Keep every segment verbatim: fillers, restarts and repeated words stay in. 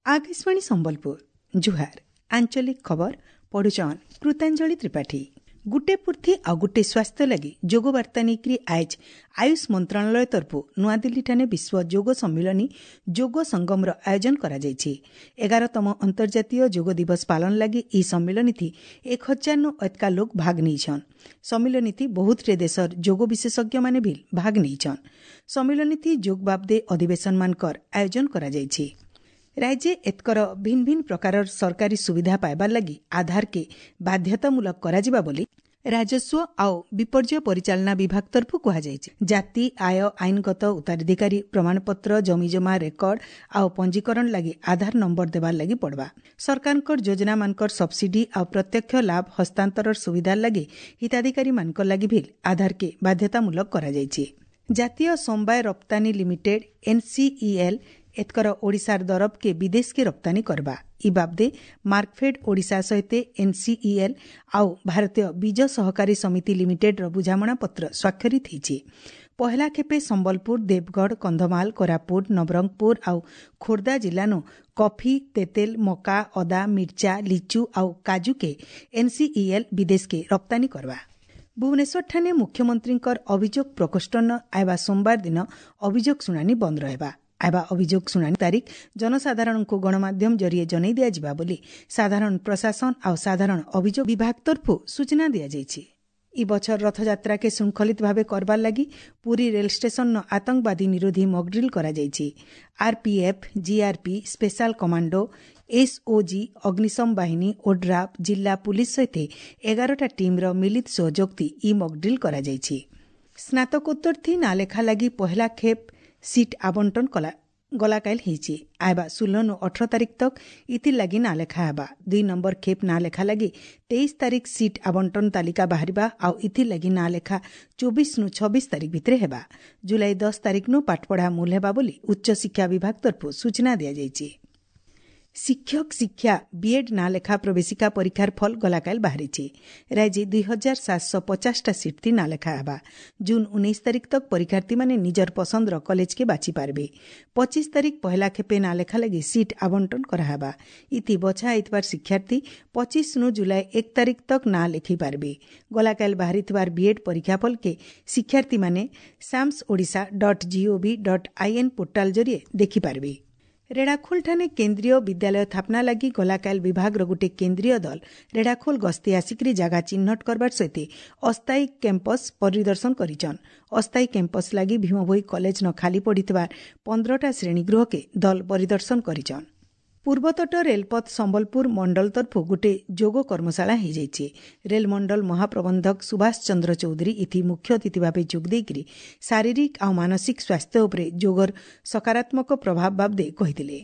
ଆକାଶବାଣୀ ସମ୍ବଲପୁର ଜୁହାର ଆଞ୍ଚଳିକ ଖବର ପଢୁଛନ୍ କୃତାଞ୍ଜଳି ତ୍ରିପାଠୀ ଗୁଟେ ପୂର୍ତ୍ତି ଆଉ ଗୁଟେ ସ୍ୱାସ୍ଥ୍ୟ ଲାଗି ଯୋଗ ବାର୍ତ୍ତା ନେଇକରି ଆଏଜ୍ ଆୟୁଷ ମନ୍ତ୍ରଣାଳୟ ତରଫରୁ ନୂଆଦିଲ୍ଲୀଠାନେ ବିଶ୍ୱ ଯୋଗ ସମ୍ମିଳନୀ ଯୋଗ ସଙ୍ଗମର ଆୟୋଜନ କରାଯାଇଛି ଏଗାରତମ ଅନ୍ତର୍ଜାତୀୟ ଯୋଗ ଦିବସ ପାଳନ ଲାଗି ଏହି ସମ୍ମିଳନୀଥି ଏକ ହଜାରନୁ ଅଧିକା ଲୋକ ଭାଗ ନେଇଛନ୍ ସମ୍ମିଳନୀଥି ବହୁତଟେ ଦେଶର ଯୋଗ ବିଶେଷଜ୍ଞମାନେ ବି ଭାଗ ନେଇଛନ୍ ସମ୍ମିଳନୀଥି ଯୋଗ ବାବଦେ ଅଧିବେଶନମାନଙ୍କର ଆୟୋଜନ କରାଯାଇଛି ରାଜ୍ୟେ ଏତକର ଭିନ୍ନ ଭିନ୍ନ ପ୍ରକାରର ସରକାରୀ ସୁବିଧା ପାଇବାର ଲାଗି ଆଧାରକେ ବାଧ୍ୟତାମୂଳକ କରାଯିବା ବୋଲି ରାଜସ୍ୱ ଆଉ ବିପର୍ଯ୍ୟୟ ପରିଚାଳନା ବିଭାଗ ତରଫରୁ କୁହାଯାଇଛି ଜାତି ଆୟ ଆଇନଗତ ଉତ୍ତରାଧିକାରୀ ପ୍ରମାଣପତ୍ର ଜମିଜମା ରେକର୍ଡ ଆଉ ପଞ୍ଜୀକରଣ ଲାଗି ଆଧାର ନମ୍ବର ଦେବାର ଲାଗି ପଡ଼ବା ସରକାରଙ୍କର ଯୋଜନାମାନଙ୍କର ସବସିଡି ଆଉ ପ୍ରତ୍ୟକ୍ଷ ଲାଭ ହସ୍ତାନ୍ତରର ସୁବିଧା ଲାଗି ହିତାଧିକାରୀମାନଙ୍କ ଲାଗି ବି ଆଧାରକେ ବାଧ୍ୟତାମୂଳକ କରାଯାଇଛି ଜାତୀୟ ସମବାୟ ରପ୍ତାନୀ ଲିମିଟେଡ୍ ଏନ୍ସିଇଏଲ୍ ଏତକର ଓଡ଼ିଶାର ଦରବକେ ବିଦେଶକେ ରପ୍ତାନୀ କରବା ଇ ବାବଦେ ମାର୍କଫେଡ୍ ଓଡ଼ିଶା ସହିତ ଏନ୍ସିଇଏଲ୍ ଆଉ ଭାରତୀୟ ବୀଜ ସହକାରୀ ସମିତି ଲିମିଟେଡ୍ର ବୁଝାମଣାପତ୍ର ସ୍ୱାକ୍ଷରିତ ହୋଇଛି ପହେଲା ଖେପେ ସମ୍ବଲପୁର ଦେବଗଡ଼ କନ୍ଧମାଳ କୋରାପୁଟ ନବରଙ୍ଗପୁର ଆଉ ଖୋର୍ଦ୍ଧା ଜିଲ୍ଲାନୁ କଫି ତେତେଲ ମକା ଅଦା ମିର୍ଚା ଲିଚୁ ଆଉ କାଜୁକେ ଏନ୍ସିଇଏଲ୍ ବିଦେଶକେ ରପ୍ତାନୀ କରବା ଭୁବନେଶ୍ୱରଠାନେ ମୁଖ୍ୟମନ୍ତ୍ରୀଙ୍କର ଅଭିଯୋଗ ପ୍ରକୋଷ୍ଠନ ଆଇବା ସୋମବାର ଦିନ ଅଭିଯୋଗ ଶୁଣାଣି ବନ୍ଦ ରହିବା ଆଇବା ଅଭିଯୋଗ ଶୁଣାଣି ତାରିଖ ଜନସାଧାରଣଙ୍କୁ ଗଣମାଧ୍ୟମ ଜରିଏ ଜଣାଇ ଦିଆଯିବା ବୋଲି ସାଧାରଣ ପ୍ରଶାସନ ଆଉ ସାଧାରଣ ଅଭିଯୋଗ ବିଭାଗ ତରଫରୁ ସୂଚନା ଦିଆଯାଇଛି ଇ ବଛର ରଥଯାତ୍ରାକେ ଶୃଙ୍ଖଳିତ ଭାବେ କରବାର ଲାଗି ପୁରୀ ରେଳ ଷ୍ଟେସନର ଆତଙ୍କବାଦୀ ନିରୋଧୀ ମକଡ୍ରିଲ୍ କରାଯାଇଛି RPF GRP special commando SOG ଅଗ୍ନିଶମ ବାହିନୀ ଓଡ୍ରାଫ୍ ଜିଲ୍ଲା ପୁଲିସ୍ ସହିତ ଏଗାରଟା ଟିମ୍ର ମିଳିତ ସହଯୋଗଥି ଇ ମକଡ୍ରିଲ୍ କରାଯାଇଛି ସ୍ନାତକୋତ୍ତରଥି ନାଲେଖା ଲାଗି ପହେଲା ଖେପ୍ ସିଟ୍ ଆବଣ୍ଟନ କଲା ଗଲାକାଇଲ ହେଇଛି ଆଇବା ଷୋହଳନୁ ଅଠର ତାରିଖ ତକ୍ ଇଥିର୍ ଲାଗି ନାଁ ଲେଖା ହେବା ଦୁଇ ନମ୍ବର ଖେପ୍ ନାଁ ଲେଖା ଲାଗି ତେଇଶ ତାରିଖ ସିଟ୍ ଆବଣ୍ଟନ ତାଲିକା ବାହାରିବା ଆଉ ଇଥିର୍ ଲାଗି ନାଁ ଲେଖା ଚବିଶନୁ ଛବିଶ ତାରିଖ ଭିତରେ ହେବା ଜୁଲାଇ ଦଶ ତାରିଖନୁ ପାଠପଢ଼ା ମୂଲ ହେବା ବୋଲି ଉଚ୍ଚଶିକ୍ଷା ବିଭାଗ ତରଫରୁ ସୂଚନା ଦିଆଯାଇଛି ଶିକ୍ଷକ ଶିକ୍ଷା ବିଏଡ୍ ନାଁ ଲେଖା ପ୍ରବେଶିକା ପରୀକ୍ଷାର ଫଳ ଗଲାକାଲ ବାହାରିଛି ରାଜ୍ୟ ଦୁଇ ହଜାର ସାତଶହ ପଚାଶଟା ସିଟ୍ ନାଁ ଲେଖା ହେବା ଜୁନ୍ ଉଣେଇଶ ତାରିଖ ତକ୍ ପରୀକ୍ଷାର୍ଥୀମାନେ ନିଜର ପସନ୍ଦର କଲେଜକେ ବାଛି ପାରବେ ପଚିଶ ତାରିଖ ପହେଲା ଖେପେ ନାଁ ଲେଖା ଲାଗି ସିଟ୍ ଆବଣ୍ଟନ କରାହେବା ଇତି ବଛା ହେଇଥିବାର ଶିକ୍ଷାର୍ଥୀ ପଚିଶନୁ ଜୁଲାଇ ଏକ ତାରିଖ ତକ୍ ନାଁ ଲେଖି ପାରବେ ଗଲାକାଲ ବାହାରିଥିବାର ବିଏଡ୍ ପରୀକ୍ଷା Phalke ଶିକ୍ଷାର୍ଥୀମାନେ SAMS Odisha dot gov dot in portal ଜରିଏ ଦେଖିପାରିବେ ରେଢ଼ାଖୋଲଠାନେ କେନ୍ଦ୍ରୀୟ ବିଦ୍ୟାଳୟ ସ୍ଥାପନା ଲାଗି ଗଲାକାଲ ବିଭାଗର ଗୋଟିଏ କେନ୍ଦ୍ରୀୟ ଦଳ ରେଢ଼ାଖୋଲ ଗସ୍ତି ଆସିକରି ଜାଗା ଚିହ୍ନଟ କରବାର ସହିତ ଅସ୍ଥାୟୀ କ୍ୟାମ୍ପସ୍ ପରିଦର୍ଶନ କରିଛନ୍ ଅସ୍ଥାୟୀ କ୍ୟାମ୍ପସ୍ ଲାଗି ଭୀମଭୋଇ କଲେଜ ନ ଖାଲି ପଡ଼ିଥିବା ପନ୍ଦରଟା ଶ୍ରେଣୀଗୃହକେ ଦଳ ପରିଦର୍ଶନ କରିଛନ୍ ପୂର୍ବତଟ ରେଳପଥ ସମ୍ବଲପୁର ମଣ୍ଡଳ ତରଫରୁ ଗୋଟିଏ ଯୋଗ କର୍ମଶାଳା ହୋଇଯାଇଛି ରେଳମଣ୍ଡଳ ମହାପ୍ରବନ୍ଧକ ସୁଭାଷ ଚନ୍ଦ୍ର ଚୌଧୁରୀ ଇଥି ମୁଖ୍ୟ ଅତିଥି ଭାବେ ଯୋଗ ଦେଇକରି ଶାରୀରିକ ଆଉ ମାନସିକ ସ୍ୱାସ୍ଥ୍ୟ ଉପରେ ଯୋଗର ସକାରାତ୍ମକ ପ୍ରଭାବ ବାବଦେ କହିଥିଲେ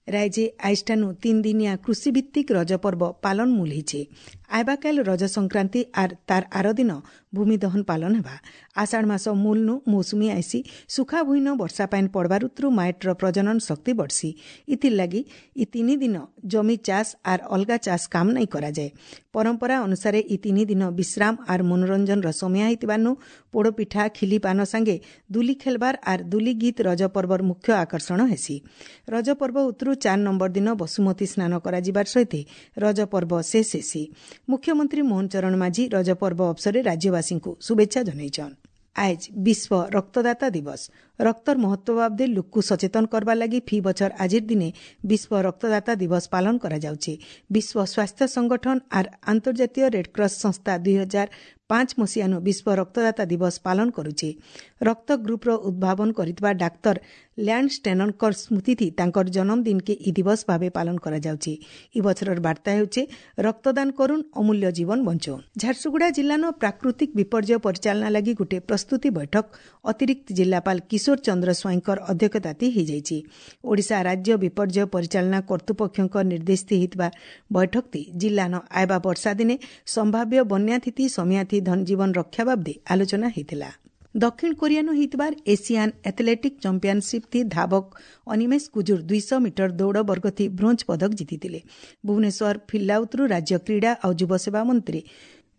ରାଜ୍ୟେ ଆଇଷ୍ଠାନୁ ତିନି ଦିନିଆ କୃଷିଭିତ୍ତିକ ରଜ ପର୍ବ ପାଳନ ମୂଲ ହେଇଛେ ଆଇବାକାଲ ରଜ ସଂକ୍ରାନ୍ତି ଆର୍ ତାର ଆର ଦିନ ଭୂମିଦହନ ପାଳନ ହେବା ଆଷାଢ଼ ମାସ ମୂଲନୁ ମୌସୁମୀ ଆଇସି ସୁଖା ଭୁଇଁନ ବର୍ଷା ପାଏନ୍ ପଡ଼ବାର ଉତ୍ରୁ ମାଏଟ୍ର ପ୍ରଜନନ ଶକ୍ତି ବଢ଼ସି ଇଥିର୍ ଲାଗି ଇ ତିନି ଦିନ ଜମି ଚାଷ ଆର୍ ଅଲଗା ଚାଷ କାମ ନାଇଁ କରାଯାଏ ପରମ୍ପରା ଅନୁସାରେ ଇ ତିନି ଦିନ ବିଶ୍ରାମ ଆର୍ ମନୋରଞ୍ଜନର ସମୟ ହେଇଥିବାନୁ ପୋଡ଼ପିଠା ଖିଲି ପାନ ସାଙ୍ଗେ ଦୁଲି ଖେଲବାର ଆର୍ ଦୁଲି ଗୀତ ରଜ ପର୍ବର ମୁଖ୍ୟ ଆକର୍ଷଣ ହେସି ରଜ ପର୍ବ ଉତ୍ରୁ ଚାର ନମ୍ବର ଦିନ ବସୁମତୀ ସ୍ନାନ କରାଯିବାର ସହିତ ରଜ ପର୍ବ ଶେଷ ହେସି ମୁଖ୍ୟମନ୍ତ୍ରୀ ମୋହନ ଚରଣ ମାଝୀ ରଜ ପର୍ବ ଅବସରରେ ରାଜ୍ୟବାସୀଙ୍କୁ ଶୁଭେଚ୍ଛା ଜଣାଇଛନ୍ ଆଏଜ୍ ବିଶ୍ୱ ରକ୍ତଦାତା ଦିବସ ରକ୍ତର ମହତ୍ୱ ବାବଦେ ଲୋକକୁ ସଚେତନ କରବା ଲାଗି ଫି ବଛର ଆଜିର ଦିନେ ବିଶ୍ୱ ରକ୍ତଦାତା ଦିବସ ପାଳନ କରାଯାଉଛି ବିଶ୍ୱ ସ୍ୱାସ୍ଥ୍ୟ ସଂଗଠନ ଆର୍ ଆନ୍ତର୍ଜାତୀୟ ରେଡ୍କ୍ରସ୍ ସଂସ୍ଥା ଦୁଇ ହଜାର ପାଞ୍ଚ ମସିହାନୁ ବିଶ୍ୱ ରକ୍ତଦାତା ଦିବସ ପାଳନ କରୁଛି ରକ୍ତ ଗ୍ରୁପ୍ର ଉଦ୍ଭାବନ କରିଥିବା ଡାକ୍ତର ଲ୍ୟାଣ୍ଡ ଷ୍ଟେନରଙ୍କର ସ୍ମୃତିଥି ତାଙ୍କର ଜନ୍ମଦିନକେ ଇ ଦିବସ ଭାବେ ପାଳନ କରାଯାଉଛି ଇ ବଛରର ବାର୍ତ୍ତା ହେଉଛି ରକ୍ତଦାନ କରୁନ୍ ଅମୂଲ୍ୟ ଜୀବନ ବଞ୍ଚଉନ୍ ଝାରସୁଗୁଡ଼ା ଜିଲ୍ଲାନ ପ୍ରାକୃତିକ ବିପର୍ଯ୍ୟୟ ପରିଚାଳନା ଲାଗି ଗୋଟିଏ ପ୍ରସ୍ତୁତି ବୈଠକ ଅତିରିକ୍ତ ଜିଲ୍ଲାପାଳ କିଶୋର ଚନ୍ଦ୍ର ସ୍ୱାଇଁଙ୍କର ଅଧ୍ୟକ୍ଷତାତି ହୋଇଯାଇଛି ଓଡ଼ିଶା ରାଜ୍ୟ ବିପର୍ଯ୍ୟୟ ପରିଚାଳନା କର୍ତ୍ତୃପକ୍ଷଙ୍କ ନିର୍ଦ୍ଦେଶଥି ହୋଇଥିବା ବୈଠକତି ଜିଲ୍ଲାନ ଆଇବା ବର୍ଷା ଦିନେ ସମ୍ଭାବ୍ୟ ବନ୍ୟାଥିତି ସମିଆଥି ଧନଜୀବନ ରକ୍ଷା ବାବଦେ ଆଲୋଚନା ହୋଇଥିଲା ଦକ୍ଷିଣ କୋରିଆନୁ ହୋଇଥିବାର ଏସିଆନ୍ ଆଥଲେଟିକ୍ ଚାମ୍ପିୟନସିପ୍ ଥି ଧାବକ ଅନିମେଷ କୁଜୁର ଦୁଇଶହ ମିଟର ଦୌଡ଼ ବର୍ଗଥି ବ୍ରୋଞ୍ଜ ପଦକ ଜିତିଥିଲେ ଭୁବନେଶ୍ୱର ଫିଲ୍ଲାଉତ୍ରୁ ରାଜ୍ୟ କ୍ରୀଡ଼ା ଆଉ ଯୁବସେବା ମନ୍ତ୍ରୀ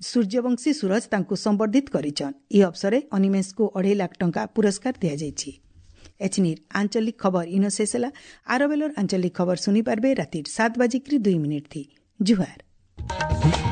ସୂର୍ଯ୍ୟବଂଶୀ ସୁରଜ ତାଙ୍କୁ ସମ୍ବର୍ଦ୍ଧିତ କରିଛନ୍ ଏହି ଅବସରରେ ଅନିମେଷଙ୍କୁ ଅଢ଼େଇ ଲାଖ ଟଙ୍କା ପୁରସ୍କାର ଦିଆଯାଇଛି ଏଚନିର ଆଞ୍ଚଳିକ ଖବର ଇନ ଶେଷ ହେଲା। ଆର ବେଲର ଆଞ୍ଚଳିକ ଖବର ଶୁନି ପାରବେ ରାତିର ସାତ ବାଜିକ୍ରି ଦୁଇ ମିନିଟ୍ ଥି। ଜୁହାର।